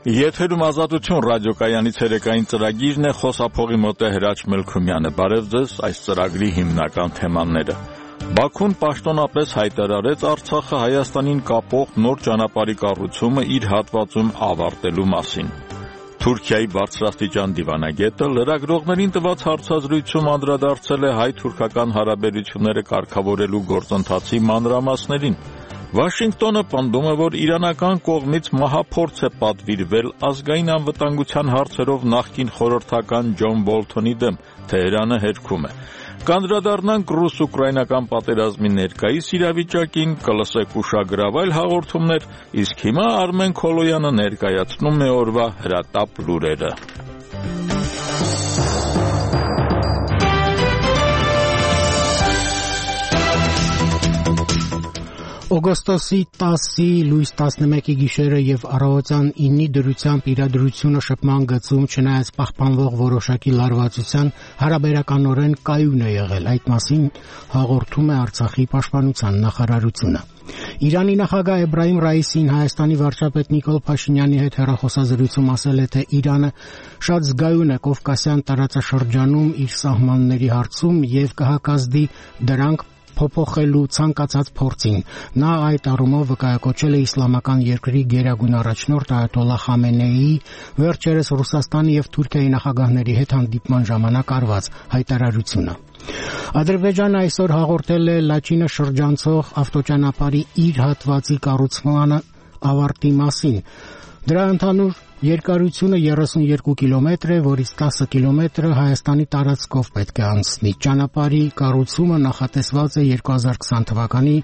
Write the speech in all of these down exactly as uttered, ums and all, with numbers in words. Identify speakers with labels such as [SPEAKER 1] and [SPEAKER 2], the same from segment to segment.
[SPEAKER 1] Եթերում ազատություն ռադիոկայանից երեկային ծրագիրն է, խոսափողի մոտ է Հրաչ Մելքումյանը։ Բարև ձեզ, այս ծրագրի հիմնական թեմաները։ Բաքուն պաշտոնապես հայտարարեց Արցախը Հայաստանին կապող նոր ճանապարհի կառուցումը իր հատվածում ավարտելու մասին։ Թուրքիայի բարձրաստիճան դիվանագետը լրագրողներին տված հարցազրույցում անդրադարձել է հայ-թուրքական հարաբերությունները կարգավորելու գործընթացի մանրամասներին։ Վաշինգտոնը պնդում է, որ իրանական կողմից մահափորձ է պատվիրվել ազգային անվտանգության հարցերով նախկին խորհրդական Ջոն Բոլթոնի դեմ, Թեհրանը հերքում է։ Կանդրադառնանք ռուս-ուկրաինական պատերազմի ներկայիս իրավիճակին, կլսեք ուշագրավ այլ հաղորդումներ, իսկ հիմա Արմեն Քոլոյանը ներկայացնում է օրվա հրատապ լուրերը։
[SPEAKER 2] Օգոստոսի տասի լույս տասնմեկի գիշերը եւ առավոտյան ինի դրությամբ իրադրությունը շփման գծում չնայած պահպանվող որոշակի լարվածության հարաբերականորեն կայուն է եղել։ Այդ մասին հաղորդում է Արցախի պաշտպանության նախարարությունը։ Իրանի նախագահ Էբրահիմ Ռայիսին Հայաստանի վարչապետ Նիկոլ Փաշինյանի հետ հեռախոսազրույցում ասել է, թե Իրանը շատ զգայուն է Կովկասյան տարածաշրջանում իր սահմանների հարցում եւ կհակազդի դրանք փոփոխելու ցանկացած փորձին։ Նա այդ առումով վկայակոչել է իսլամական երկրի գերագույն առաջնորդ Այաթոլլահ Խամենեիի վերջերս Ռուսաստանի եւ Թուրքիայի նախագահների հետ հանդիպման ժամանակ արված հայտարարությունը։ Ադրբեջանը այսօր հաղորդել է Լաչինը շրջանցող ավտոճանապարհի իր հատվածի կառուցման ավարտի մասին։ Դրա ընդհանուր երկարությունը երեսունյոթ կիլոմետր է, որից տասը կիլոմետրը Հայաստանի տարածքով պետք է անցնի։ Ճանապարհի կառուցումը նախատեսված է երկու հազար քսան թվականի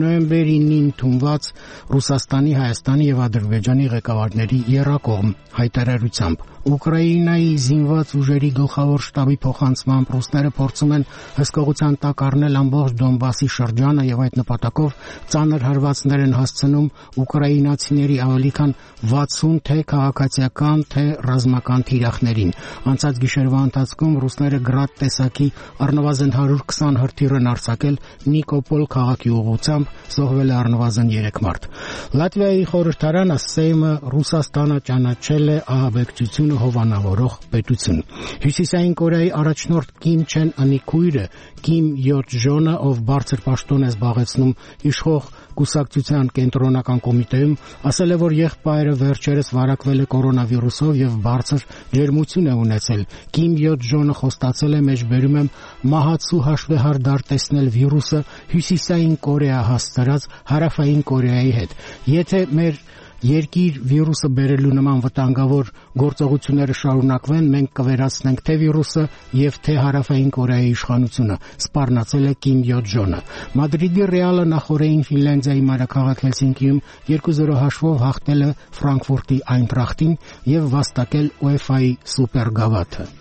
[SPEAKER 2] նոյեմբերին ընդունված Ռուսաստանի, Հայաստանի եւ Ադրբեջանի ղեկավարների եռակողմ հայտարարությամբ։ Ուկրաինայի զինված ուժերի գլխավոր շտաբի փոխանցմամբ ռուսները փորձում են հսկողության տակ առնել ամբողջ Դոնբասի շրջանը եւ այդ նպատակով ծանր հարվածներ են հասցնում ուկրաինացիների ավելի քան վաթսուն թե քաղաքացիական, թե ռազմական թիրախներին։ Անցած գիշերվա ընթացքում ռուսները գրադ տեսակի առնվազն հարյուր քսան հրթիռ են արձակել Նիկոպոլ քաղաքի ուղղությամբ, զոհվել է առնվազն երեք մարդ։ Լատվիայի խորհրդարանը Սեյմը Ռուսաստանը ճանաչել է ահաբեկչությունը հովանավորող պետություն։ Հյուսիսային Կորեայի առաջնորդ Կիմ Չեն Ընի քույրը Կիմ Յոթ Ժոնը, ով բարձր պաշտոն է զբաղեցնում իշխող կուսակցության կենտրոնական կոմիտեում, ասել է, որ եղբայրը վերջերս վարակվել է կորոնավիրուսով եւ բարձր ջերմություն է ունեցել։ Կիմ Յոթ Ժոնը խոստացել է, մեջբերում եմ մահացու հաշվեհար դարտեսնել վիրուսը Հյուսիսային Կորեա հասցրած Հարավային Կորեայի հետ։ Եթե մեր երկիր վիրուսը բերելու նման վտանգավոր գործողությունները շարունակվեն, մենք կվերացնենք թե վիրուսը եւ թե Հարավային Կորեայի իշխանությունը, սպառնացել է Կիմ Յոթ Ժոնը։ Մադրիդի Ռեալը նախորդին Ֆինլանդիայի մայրաքաղաք Հելսինկիում երկու զրո հաշվով հաղթել է Ֆրանկֆուրտի Այնտրախտին եւ վաստակել ՈՒԵՖԱ-ի սուպերգավաթը։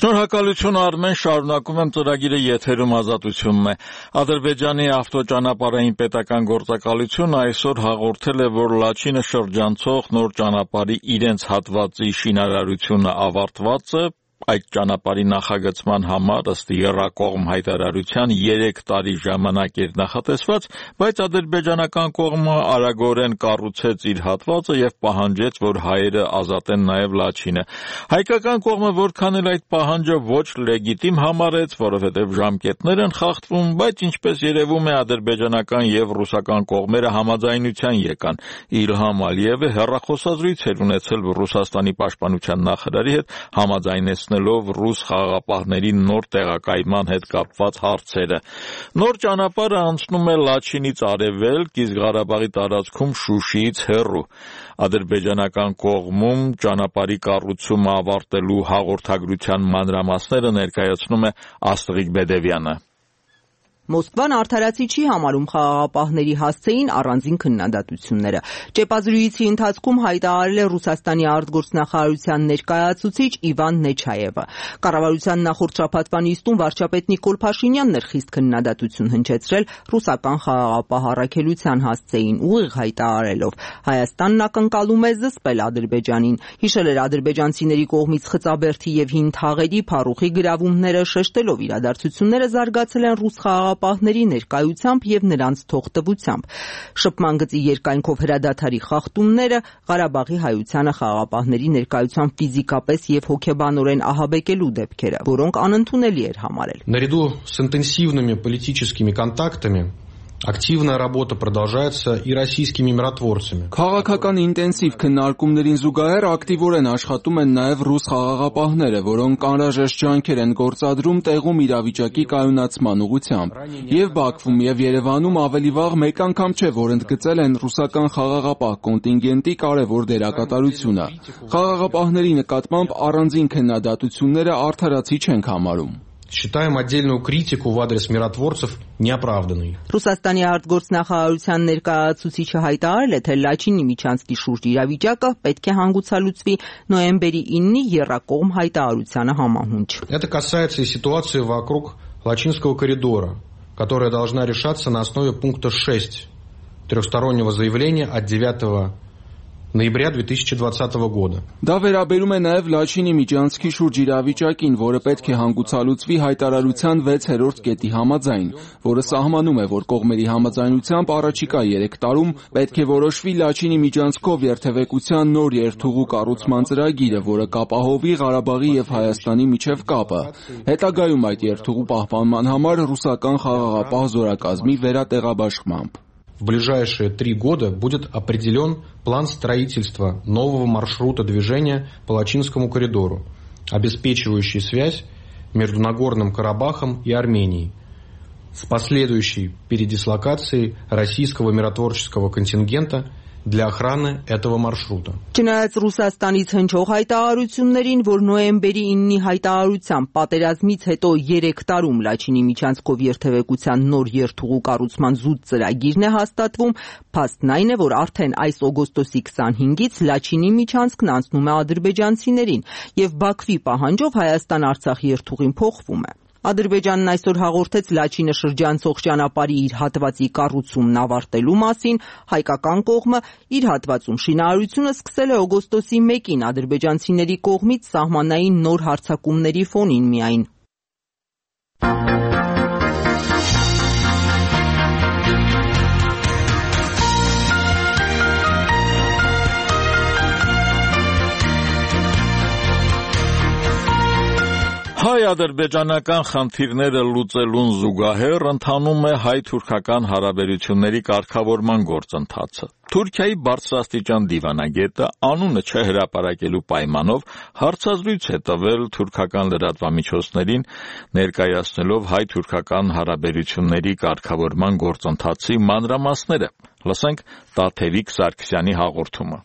[SPEAKER 1] Շնորհակալություն Արմեն, շարունակում եմ ծրագիրը, եթերում ազատությունն է։ Ադրբեջանի ավտոճանապարհային պետական գործակալությունը այսօր հաղորդել է, որ Լաչինը շրջանցող նոր ճանապարհի իրենց հատվածի շինարարությունը ավարտված է։ Այդ ճանապարհի նախագծման համար ըստ եռակողմ հայտարարության երեք տարի ժամանակ էր նախատեսված, բայց ադրբեջանական կողմը արագորեն կառուցեց իր հատվածը եւ պահանջեց, որ հայերը ազատեն նաեւ Լաչինը։ Հայկական կողմը որքան էլ այդ պահանջը ոչ լեգիտիմ համարեց, որովհետեւ ժամկետներ են խախտվում, բայց ինչպես երևում է ադրբեջանական եւ ռուսական կողմերը համաձայնության եկան։ Իլհամ Ալիևը հեռախոսազրույց էր ունեցել Ռուսաստանի պաշտպանության նախարարի հետ, համաձայնեցնելով ռուս խաղաղապահների նոր տեղակայման հետ կապված հարցերը։ Նոր ճանապարհը անցնում է Լաչինից արևելք, իսկ Ղարաբաղի տարածքում Շուշիից հեռու։ Ադրբեջանական կողմում ճանապարհի կառուցումը ավարտելու հաղորդագրության մանրամասները ներկայացնում է Աստղիկ Բեդևյանը։
[SPEAKER 3] Մոսկվան արդարացի չի համարում խաղաղապահների հասցեին առանձին քննադատությունները։ Ճեպազրույցի ընթացքում հայտարարել է Ռուսաստանի արտգործնախարարության ներկայացուցիչ Իվան Նեչայևը։ Կառավարության նախորդ շաբաթվա նիստում վարչապետ Նիկոլ Փաշինյանն էր խիստ քննադատություն հնչեցրել ռուսական խաղաղապահ առաքելության հասցեին, ուղիղ հայտարարելով. Հայաստանն ակնկալում է զսպել Ադրբեջանին։ Հիշել էր ադրբեջանցիների կողմից Խծաբերդի եւ Հին Թաղերի փառուխի գրավումները, շեշտելով իրադարձությունները զարգացել են ռուս խաղաղապահների ներկայությամբ եւ նրանց թողտվությամբ։ Շփման գծի երկայնքով հրադադարի խախտումները, Ղարաբաղի հայությանը խաղաղապահների ներկայությամբ ֆիզիկապես եւ հոգեբանորեն ահաբեկելու դեպքերը, որոնք անընդունելի էր համարել։
[SPEAKER 4] Наряду с интенсивными политическими контактами активная работа продолжается и российскими миротворцами.
[SPEAKER 5] Քաղաքական ինտենսիվ քննարկումներին զուգահեռ ակտիվորեն աշխատում են նաև ռուս խաղաղապահները, որոնք անհրաժեշտ ջանքեր են գործադրում տեղում իրավիճակի կայունացման ուղղությամբ։ Եվ Բաքվում եւ Երևանում ավելի վաղ մեկ անգամ չէ, որ ընդգծել են ռուսական խաղաղապահ կոնտինգենտի կարևոր դերակատարությունը։ Խաղաղապահների նկատմամբ առանձին քննադատությունները արդարացի չենք համարում։
[SPEAKER 4] Считаем отдельную критику в адрес миротворцев неоправданной.
[SPEAKER 3] Ռուսաստանի արտգործնախարարության ներկայացուցիչը հայտարարել է, թե Լաչինի Միչանսկի շուրջ իրավիճակը պետք է հանգուցալուծվի նոյեմբերի իննի եռակողմ հայտարարությանը համահունչ։
[SPEAKER 4] Это касается и ситуации вокруг Лачинского коридора, которая должна решаться на основе пункта шесть трехстороннего заявления от девятого ноября две тысячи двадцатого года.
[SPEAKER 5] Դա վերաբերում է նաև Լաչինի Միջանսկի շուրջ իրավիճակին, որը պետք է հանգուցալուծվի հայտարարության վեցերորդ կետի համաձայն, որը սահմանում է, որ կողմերի համաձայնությամբ առաջիկա երեք տարում պետք է որոշվի Լաչինի Միջանսկով երթևեկության նոր երթուղու կառուցման ծրագիրը, որը կապահովի Ղարաբաղի եւ Հայաստանի միջև կապը։ Հետագայում այդ երթուղու պահպանման համար ռուսական խաղաղապահ զորակազմի վերատեղաբաշխմամբ։
[SPEAKER 4] В ближайшие три года будет определен план строительства нового маршрута движения по Лачинскому коридору, обеспечивающий связь между Нагорным Карабахом и Арменией, с последующей передислокацией российского миротворческого контингента для охраны этого маршрута.
[SPEAKER 3] Չնայած Ռուսաստանից հնչող հայտարարություններին, որ նոյեմբերի իննի հայտարարությամբ պատերազմից հետո երեք տարում Լաչինի Միչանսկով երթևեկության նոր երթուղու կառուցման զուտ ծրագիրն է հաստատվում, փաստն այն է, որ արդեն այս օգոստոսի քսանհինգից Լաչինի Միչանսկն անցնում է ադրբեջանցիներին եւ Բաքվի պահանջով Հայաստան-Արցախ երթուղին փոխվում է։ Ադրբեջանն այսօր հաղորդեց Լաչինը շրջանցող ճանապարհի իր հատվածի կառուցումն ավարտելու մասին, հայկական կողմը իր հատվածում շինարարությունը սկսել է օգոստոսի մեկին ադրբեջանցիների կողմից սահմանային նոր հարձակումների ֆոնին միայն։
[SPEAKER 1] Հայ-ադրբեջանական խնդիրները լուծելուն զուգահեռ ընթանում է հայ-թուրքական հարաբերությունների կարգավորման գործընթացը։ Թուրքիայի բարձրաստիճան դիվանագետը անունը չհրապարակելու պայմանով հարցազրույց է տվել թուրքական լրատվամիջոցներին, ներկայացնելով հայ-թուրքական հարաբերությունների կարգավորման գործընթացի մանրամասները։ Լսենք Տաթևիկ Սարգսյանի հաղորդումը։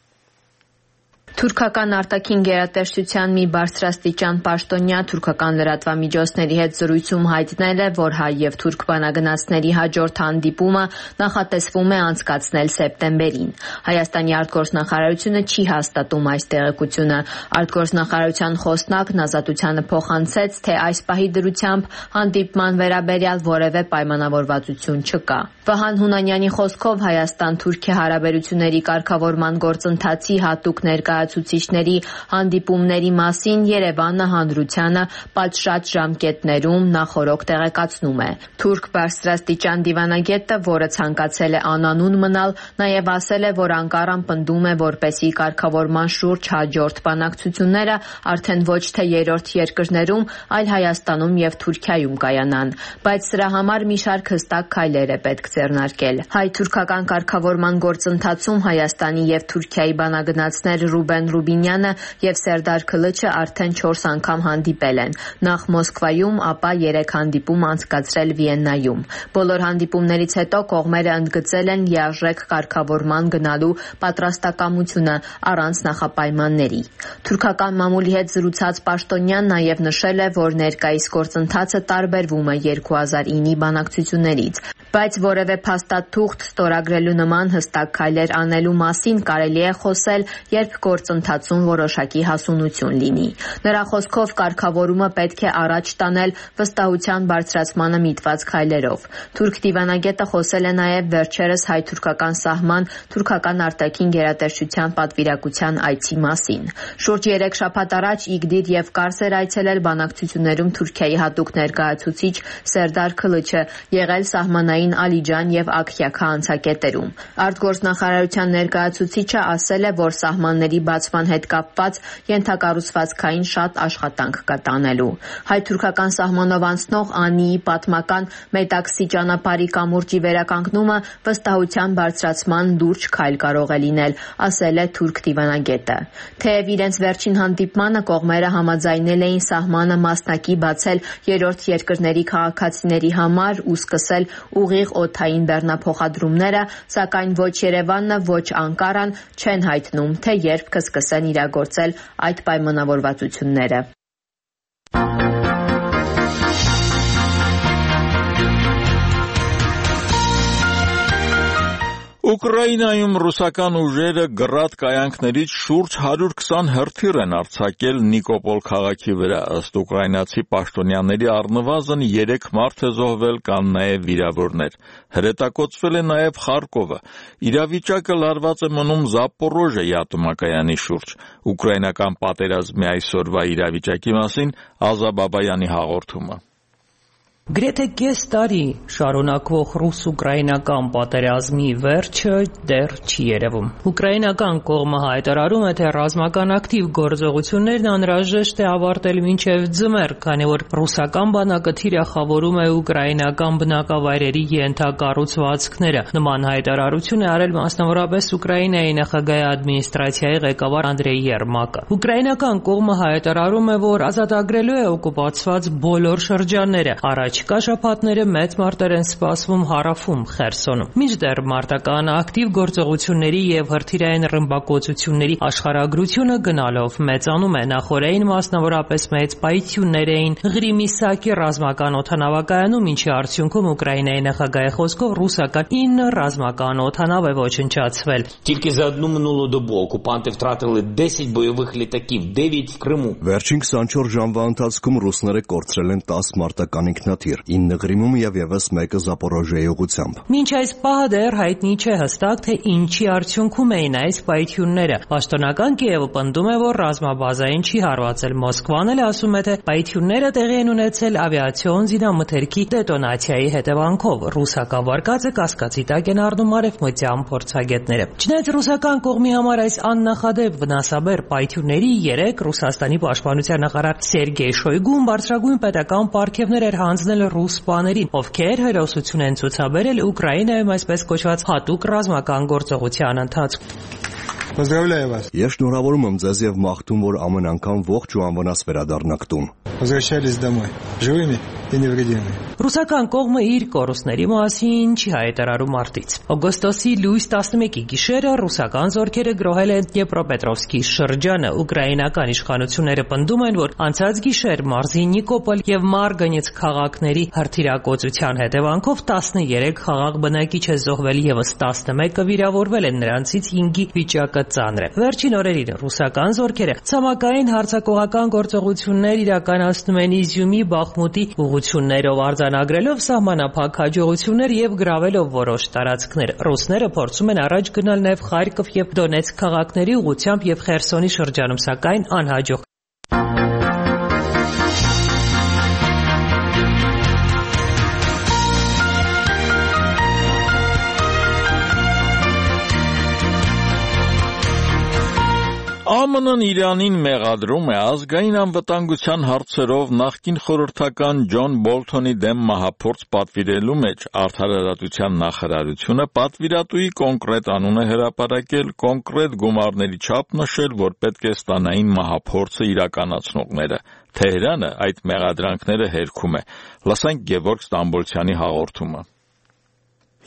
[SPEAKER 6] Թուրքական արտաքին գերատեսչության մի բարձրաստիճան պաշտոնյա թուրքական լրատվամիջոցների հետ զրույցում հայտնել է, որ հայ եւ թուրք բանագնացների հաջորդ հանդիպումը նախատեսվում է անցկացնել սեպտեմբերին։ Հայաստանի արտգործնախարարությունը չի հաստատում այս տեղեկությունը։ Արտգործնախարարության խոսնակն Ազատությանը փոխանցեց, թե այս պահի դրությամբ հանդիպման վերաբերյալ որևէ պայմանավորվածություն չկա։ Վահան Հունանյանի խոսքով Հայաստան-Թուրքիա հարաբերությունների կարգավորման գործընթացի հատուկ ներկայացուցիչների հանդիպումների մասին Երևանը հանրությանը պատշաճ ժամկետներում նախօրոք տեղեկացնում է։ Թուրք բարձրաստիճան դիվանագետը, որը ցանկացել է անանուն մնալ, նաև ասել է, որ Անկարան պնդում է, որպեսզի կարգավորման շուրջ հաջորդ բանակցությունները արդեն ոչ թե երրորդ երկրներում, այլ Հայաստանում եւ Թուրքիայում կայանան, բայց սրա համար մի շարք հստակ քայլեր է պետք ձեռնարկել։ Հայ-թուրքական կարգավորման գործընթացում Հայաստանի եւ Թուրքիայի բանագնացներ Ռուբեն Ռուբեն Ռուբինյանը եւ Սերդար Քլիչը արդեն չորս անգամ հանդիպել են, նախ Մոսկվայում, ապա երեք հանդիպում անցկացրել Վիեննայում։ Բոլոր հանդիպումներից հետո կողմերը ընդգծել են լիարժեք կարգավորման գնալու պատրաստակամությունը առանց նախապայմանների։ Թուրքական մամուլի հետ զրուցած պաշտոնյան նաև նշել է, որ ներկայիս գործընթացը տարբերվում է երկու հազար ինի բանակցություններից, բայց որևէ փաստաթուղթ ստորագրելու նման հստակ քայլեր անելու մասին կարելի է խոսել, երբ գործընթացում որոշակի հասունություն լինի։ Նրա խոսքով կարգավորումը պետք է առաջ տանել վստահության բարձրացմանը միտված քայլերով։ Թուրք դիվանագետը խոսել է նաև վերջերս հայ-թուրքական սահման թուրքական արտաքին գերատեսչության պատվիրակության այցի մասին։ Շուրջ երեք շաբաթ առաջ Իգդիր եւ Կարս էր այցելել բանակցություններում Թուրքիայի հատուկ ներկայացուցիչ Սերդար Քլիչը, եղել սահմանային Ալիջան եւ Աքյաքա անցակետերում։ Արտգործնախարարության ներկայացուցիչը ասել է, որ սահմանների բացման հետ կապված ենթակառուցվածքային շատ աշխատանք կա տանելու։ Հայ-թուրքական սահմանով անցնող Անիի պատմական Մետաքսի ճանապարհի կամուրջի վերականգնումը վստահության բարձրացման լուրջ քայլ կարող է լինել, ասել է թուրք դիվանագետը։ Թեև իրենց վերջին հանդիպմանը կողմերը համաձայնել էին սահմանը մասնակի բացել երրորդ երկրների քաղաքացիների համար ու սկսել ուղիղ օդային բեռնափոխադրումները, սակայն ոչ Երևանն, ոչ Անկարան չեն հայտնում, թե երբ կսկսեն իրագործել այդ պայմանավորվածությունները։
[SPEAKER 1] Ուկրաինայում ռուսական ուժերը գրադ կայանքներից շուրջ հարյուր քսան հրթիռ են արձակել Նիկոպոլ քաղաքի վրա, ըստ ուկրաինացի պաշտոնյաների առնվազն երեք մարդ է զոհվել, կան նաև վիրավորներ։ Հրետակոծվել է նաև Խարկովը։ Իրավիճակը լարված է մնում Զապորոժիե ատոմակայանի շուրջ։ Ուկրաինական պատերազմի այսօրվա իրավիճակի մասին Ազա Բաբայանի հաղորդումը։
[SPEAKER 7] Գրեթե կես տարի շարունակվող ռուս-ուկրաինական պատերազմի վերջը դեռ չի երևում։ Ուկրաինական կողմը հայտարարում է, թե ռազմական ակտիվ գործողություններն անհրաժեշտ է ավարտել մինչև ձմեռ, քանի որ ռուսական բանակը թիրախավորում է ուկրաինական բնակավայրերի ենթակառուցվածքները։ Նման հայտարարություն է արել մասնավորապես Ուկրաինայի նախագահի ադմինիստրացիայի ղեկավար Անդրեյ Երմակը։ Ուկրաինական կողմը հայտարարում է, որ ազատագրելու է օկուպացված բոլոր շրջանները։ Առաջ Չկա շաբաթները մեծ մարտեր են սպասվում հարավում Խերսոնում։ Մինչդեռ մարտական ակտիվ գործողությունների եւ հրթիռային ռմբակոծությունների աշխարհագրությունը գնալով մեծանում է։ Նախորդին մասնավորապես մեծ պայթյուններ էին Ղրիմիսակի ռազմական օդանավակայանում, ինչի արդյունքում Ուկրաինայի նախագահի խոսքով ռուսական ինը ռազմական օդանավ է ոչնչացվել։
[SPEAKER 8] Тільки за одну минулу добу окупанти втратили десять бойових літаків, дев'ять в Криму.
[SPEAKER 9] Վերջին քսանչորս ժամվա ընթացքում ռուսները կորցրել են տասը մարտական ինքնաթիռ, ինը Ղրիմում եւ եւս մեկը Զապորոժիեի ուղղությամբ։
[SPEAKER 7] Մինչ այս պահը դեռ հայտնի չէ հստակ, թե ինչի արդյունքում էին այս պայթյունները։ Պաշտոնական Կիևը պնդում է, որ ռազմաբազային չի հարվածել։ Մոսկվան էլ ասում է, թե պայթյունները տեղի են ունեցել ավիացիոն զինամթերքի դետոնացիայի հետևանքով։ Ռուսական վարկածը կասկածի տակ են առնում արևմտյան փորձագետները։ Չնայած ռուսական կողմի համար այս աննախադեպ վնասաբեր պայթյունների երեք Ռուսաստանի պաշտպանության նախարար Սերգեյ Շոյգուն բարձրագույն պետական պարգևներ էր հանձնել ռուս սպաներին, ովքեր հերոսություն են ցուցաբերել Ուկրաինայում այսպես կոչված հատուկ ռազմական գործողության ընթացքում։
[SPEAKER 10] Поздравляю вас.
[SPEAKER 9] Ես շնորհավորում եմ ձեզ եւ մաղթում, որ ամեն անգամ ողջ ու անվնաս վերադառնաք տուն։
[SPEAKER 10] Возвращались домой живыми и невредимыми.
[SPEAKER 7] Ռուսական կողմը իր կորուստների մասին չի հայտարարում մարտից։ Օգոստոսի լույս տասնմեկի գիշերը ռուսական զորքերը գրոհել են Դնեպրոպետրովսկի շրջանը։ Ուկրաինական իշխանությունները պնդում են, որ անցած գիշեր մարզի Նիկոպոլ եւ Մարգանից քաղաքների հրթիռակոծության հետևանքով տասներեք խաղաղ բնակիչ է զոհվել, եւս տասնմեկը վիրավորվել են, նրանցից հինգի վիճակը ծանր է։ Վերջին օրերին ռուսական զորքերը ցամաքային հարձակողական գործողություններ իրականացնում են Իզյումի, Բախմուտի ուղղություններով, արձանագրելով սահմանափակ հաջողություններ եւ գրավելով որոշ տարածքներ։ Ռուսները փորձում են առաջ գնալ նաեւ Խարկով եւ Դոնեցկ քաղաքների ուղղությամբ եւ Խերսոնի շրջանում, սակայն անհաջող։
[SPEAKER 1] ԱՄՆ-ն Իրանին մեղադրում է ազգային անվտանգության հարցերով նախկին խորհրդական Ջոն Բոլթոնի դեմ մահափորձ պատվիրելու մեջ արդարադատության նախարարությունը պատվիրատուի կոնկրետ անուն է հրապարակել, կոնկրետ գումարների չափ նշել, որ պետք է ստանային մահափորձը իրականացնողները։ Թեհրանը այդ մեղադրանքները հերքում է։ Լսենք Գևորգ Ստամբոլցյանի հաղորդումը։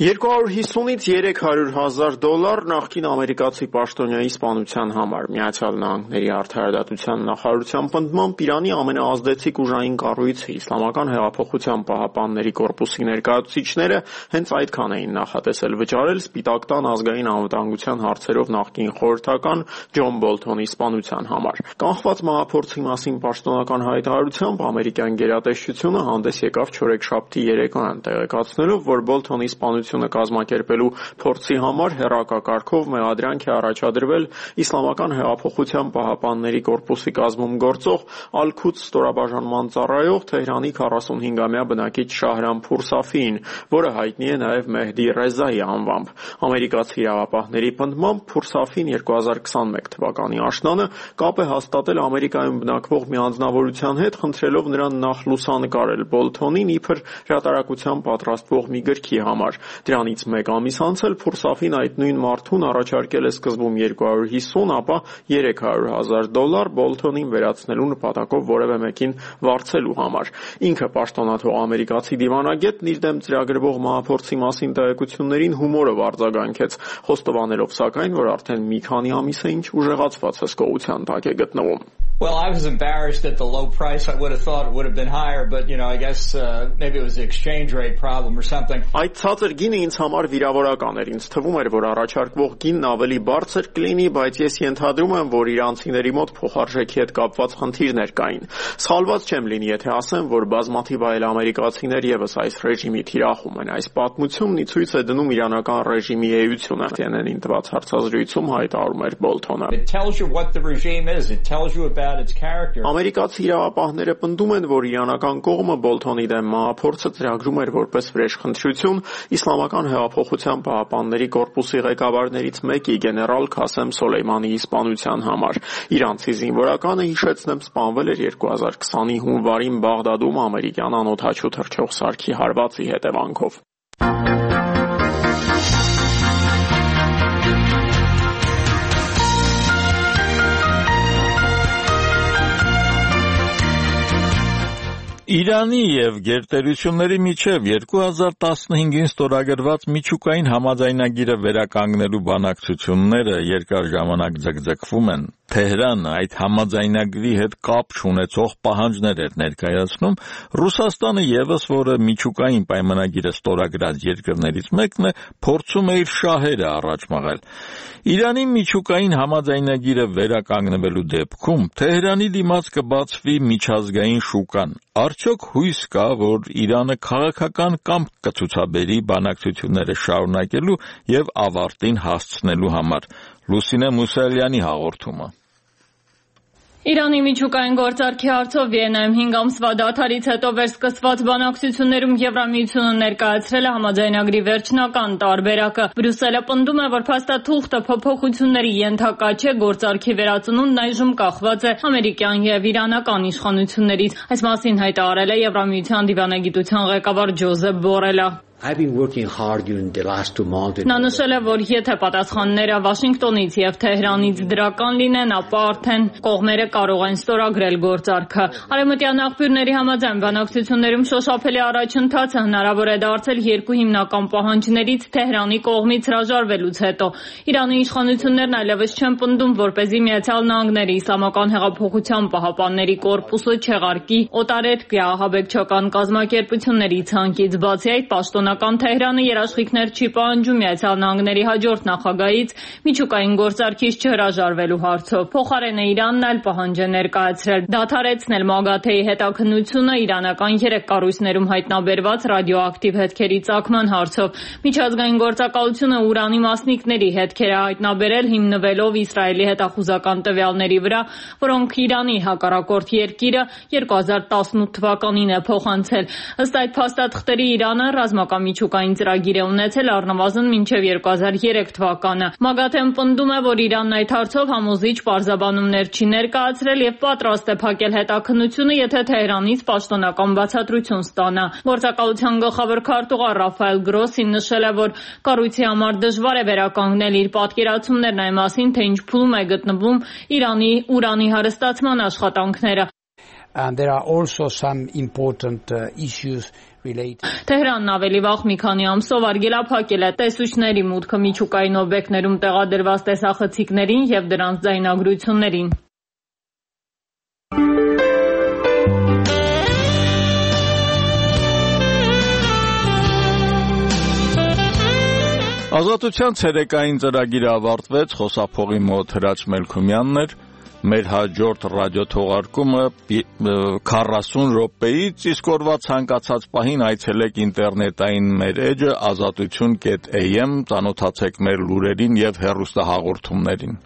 [SPEAKER 11] երկու հարյուր հիսունից երեք հարյուր հազար դոլար նախկին ամերիկացի պաշտոնյայի սպանության համար Միացյալ Նահանգների արդարադատության նախարարության պնդմամբ Իրանի ամենաազդեցիկ ուժային կառույցը Իսլամական հեղափոխության պահապանների կորպուսի ներկայացուցիչները հենց այդքան էին նախատեսել վճարել Սպիտակ տան ազգային անվտանգության հարցերով նախկին խորհրդական Ջոն Բոլթոնի սպանության համար։ Կանխված մահափորձի մասին պաշտոնական հայտարարությամբ ամերիկյան գերատեսչությունը հանդես եկավ չորեքշաբթի երեկոյան տեղեկացնելով, որ Բոլթոնի սպանությունը կազմակերպելու փորձի համար հեռակակարգով մեղադրանք է առաջադրվել Իսլամական հեղափոխության պահապանների կորպուսի կազմում գործող Ալ-Քուդս ստորաբաժանման ծառայող Թեհրանի քառասունհինգամյա բնակիչ Շահրամփուր Սաֆիին, որը հայտնի է նաև Մեհդի Ռեզայի անվամբ։ Ամերիկացի իրավապահների պնդմամբ Փուր Սաֆին երկու հազար քսանմեկ թվականի աշնանը կապ է հաստատել Ամերիկայում բնակվող մի անձնավորության հետ, խնդրելով նրան նախ լուսանկարել Բոլթոնին իբր հրատարակության պատրաստվող մի գրքի համար։ Դրանից մեկ ամիս անց էլ Փուր Սաֆին այդ նույն մարդուն առաջարկել է սկզբում երկու հարյուր հիսուն, ապա երեք հարյուր հազար դոլար Բոլթոնին վերացնելու նպատակով որևէ մեկին վարձելու համար։ Ինքը պաշտոնաթող ամերիկացի դիվանագետն իր դեմ ծրագրվող մահափորձի մասին տեղեկություններին հումորով արձագանքեց, խոստովանելով սակայն, որ արդեն մի քանի ամիս է ինչ ուժեղացված հսկողության տակ է գտնվում։
[SPEAKER 12] Well, I was embarrassed at the low price. I would have thought it would have been higher, but you know, I guess uh, maybe it was the exchange rate problem or something.
[SPEAKER 11] Այդ ցածր գինը ինձ համար վիրավորական էր։ Ինձ թվում էր, որ առաջարկվող գինն ավելի բարձր կլինի, բայց ես ենթադրում եմ, որ իրանցիների մոտ փոխարժեքի հետ կապված խնդիրներ կային։ Սխալված չեմ լինի, եթե ասեմ, որ բազմաթիվ այլ ամերիկացիներ եւս այս ռեժիմի թիրախում են։ Այս պատմությունն ի ցույց է դնում իրանական ռեժիմի էությունը։ T N N-ին տված հարցազրույցում հայտարարում էր Բոլթոնը։
[SPEAKER 12] It tells you what the regime is. It tells you about its character.
[SPEAKER 11] Ամերիկացի իրավապահները պնդում են, որ իրանական կողմը Բոլթոնի դեմ մահափորձը ծրագրում էր որպես վրեժխնդրություն Իսլամական հեղափոխության պահապանների կորպուսի ղեկավարներից մեկի գեներալ Քասեմ Սոլեյմանիի սպանության համար։ Իրանցի զինվորականը, հիշեցնեմ, սպանվել էր երկու հազար քսանի հունվարին Բաղդադում ամերիկյան անօդաչու թռչող սարքի հարվածի հետևանքով։
[SPEAKER 1] Իրանի եւ գերտերությունների միջև երկու հազար տասնհինգին ստորագրված միջուկային համաձայնագիրը վերականգնելու բանակցությունները երկար ժամանակ ձգձգվում են։ Թեհրանը այդ համաձայնագրի հետ կապ չունեցող պահանջներ էր ներկայացնում։ Ռուսաստանը եւս, որը միջուկային պայմանագիրը ստորագրած երկրներից մեկն է, փորձում է իր շահերը առաջ մղել։ Իրանի միջուկային համաձայնագիրը վերականգնվելու դեպքում Թեհրանի դիմաց կբացվի միջազգային շուկան։ Արդյոք հույս կա, որ Իրանը քաղաքական կամք կցուցաբերի բանակցությունները շարունակելու եւ ավարտին հասցնելու համար։ Լուսինե Մուսալյանի հաղորդումը։
[SPEAKER 13] Իրանի միջուկային գործարքի հարցով Վիեննայում հինգ ամսվա դադարից հետո վերսկսված բանակցություններում Եվրամիությունը ներկայացրել է համաձայնագրի վերջնական տարբերակը։ Բրյուսելը պնդում է, որ փաստաթուղթը փոփոխությունների ենթակա չէ, գործարքի վերածնունդն այժմ կախված է ամերիկյան եւ իրանական իշխանություններից։ Այս մասին հայտարարել է Եվրամիության դիվանագիտության ղեկավար Ջոզեփ Բորելը։
[SPEAKER 14] I've been working hard during the last two months.
[SPEAKER 13] Նա նշել է, որ եթե պատասխանները Վաշինգտոնից եւ Թեհրանից դրական լինեն, ապա արդեն կողմերը կարող են ստորագրել գործարքը։ Արևմտյան աղբյուրների համաձայն բանակցություններում շոշափելի առաջընթացը հնարավոր է դարձել երկու հիմնական պահանջներից Թեհրանի կողմից հրաժարվելուց հետո։ Իրանի իշխանություններն այլևս չեն պնդում, որպեսզի Միացյալ Նահանգների Իսլամական հեղափոխության պահապանների կորպուսը չեղարկի օտարերկրյա ահաբեկչական կազմակերպությունների ցանկից։ Բացի այդ, պաշտոնական Թեհրանը երաշխիքներ չի պահանջում Միացյալ Նահանգների հաջորդ նախագահից միջուկային գործարքից չհրաժարվելու հարցով։ Փոխարենը Իրանն այլ պահանջ է ներկայացրել՝ դադարեցնել ՄԱԳԱԹԵ-ի հետաքննությունը իրանական երեք կառույցներում հայտնաբերված ռադիոակտիվ հետքերի ծագման հարցով։ Միջազգային գործակալությունը Ուրանի մասնիկների հետքեր է հայտնաբերել հիմնվելով Իսրայելի հետախուզական տվյալների վրա, որոնք Իրանի հակառակորդ երկիրը երկու հազար տասնութ թվականին է փոխանցել։ Ըստ այդ փաստաթղթերի Իրանը ռազմական մուտքամիջուկային ծրագիր է ունեցել առնվազն մինչև երկու հազար երեք թվականը։ ՄԱԳԱԹԷ-ն պնդում է, որ Իրանն այդ հարցով համոզիչ պարզաբանումներ չի ներկայացրել եւ պատրաստ է փակել հետաքննությունը, եթե Թեհրանից պաշտոնական բացատրություն ստանա։ Գործակալության գլխավոր քարտուղար Ռաֆայել Գրոսին նշել է, որ կառույցի համար դժվար է վերականգնել իր պատկերացումներն այն մասին, թե ինչ փուլում է գտնվում Իրանի ուրանի հարստացման աշխատանքները։
[SPEAKER 15] And there are also some important uh, issues related.
[SPEAKER 13] Թեհրանն ավելի վաղ մի քանի ամսով արգելափակել է տեսուչների մուտքը միջուկային օբյեկտներում տեղադրված տեսախցիկներին եւ դրանց ձայնագրություններին։
[SPEAKER 1] Ազատության ցերեկային ծրագիրը ավարտվեց, խոսափողի մոտ Հրաչ Մելքումյանն էր, մեր հաջորդ ռադիոթողարկումը քառասուն րոպեից, իսկ օրվա ցանկացած պահին այցելեք ինտերնետային մեր էջը ազատություն կետ էյ էմ, ծանոթացեք մեր լուրերին եւ հեռուստահաղորդումներին։